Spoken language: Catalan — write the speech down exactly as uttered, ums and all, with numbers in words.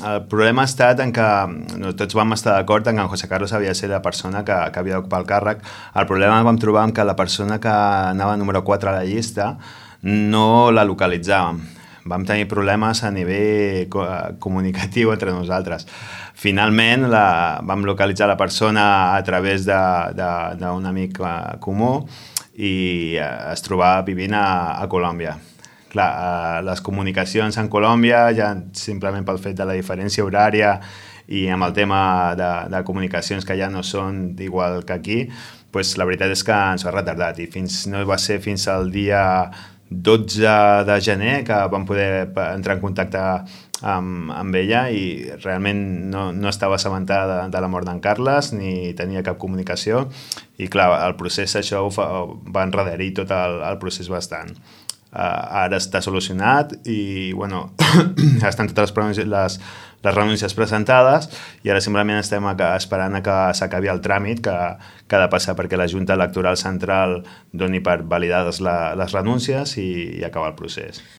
el problema ha estat en que no, tots vam estar d'acord en que en José Carlos havia de ser la persona que, que havia d'ocupar el càrrec. El problema vam trobar que la persona que anava número quatre a la llista no la localitzàvem. Vam tenir problemes a nivell comunicatiu entre nosaltres. Finalment la, vam localitzar la persona a través d'un amic comú i es trobava vivint a, a Colòmbia. Clar, les comunicacions en Colòmbia, ja simplement pel fet de la diferència horària i amb el tema de, de comunicacions que ja no són igual que aquí, pues la veritat és que ens ha retardat i fins, no va ser fins al dia dotze de gener que vam poder entrar en contacte amb, amb ella i realment no, no estava assabentada de, de la mort d'en Carles ni tenia cap comunicació i clar, el procés això ho fa, va enrederir tot el, el procés bastant. Uh, ara està solucionat i bueno, estan totes les, les, les renúncies presentades i ara simplement estem esperant a que s'acabi el tràmit que, que ha de passar perquè la Junta Electoral Central doni per validades la, les renúncies i, i acabar el procés.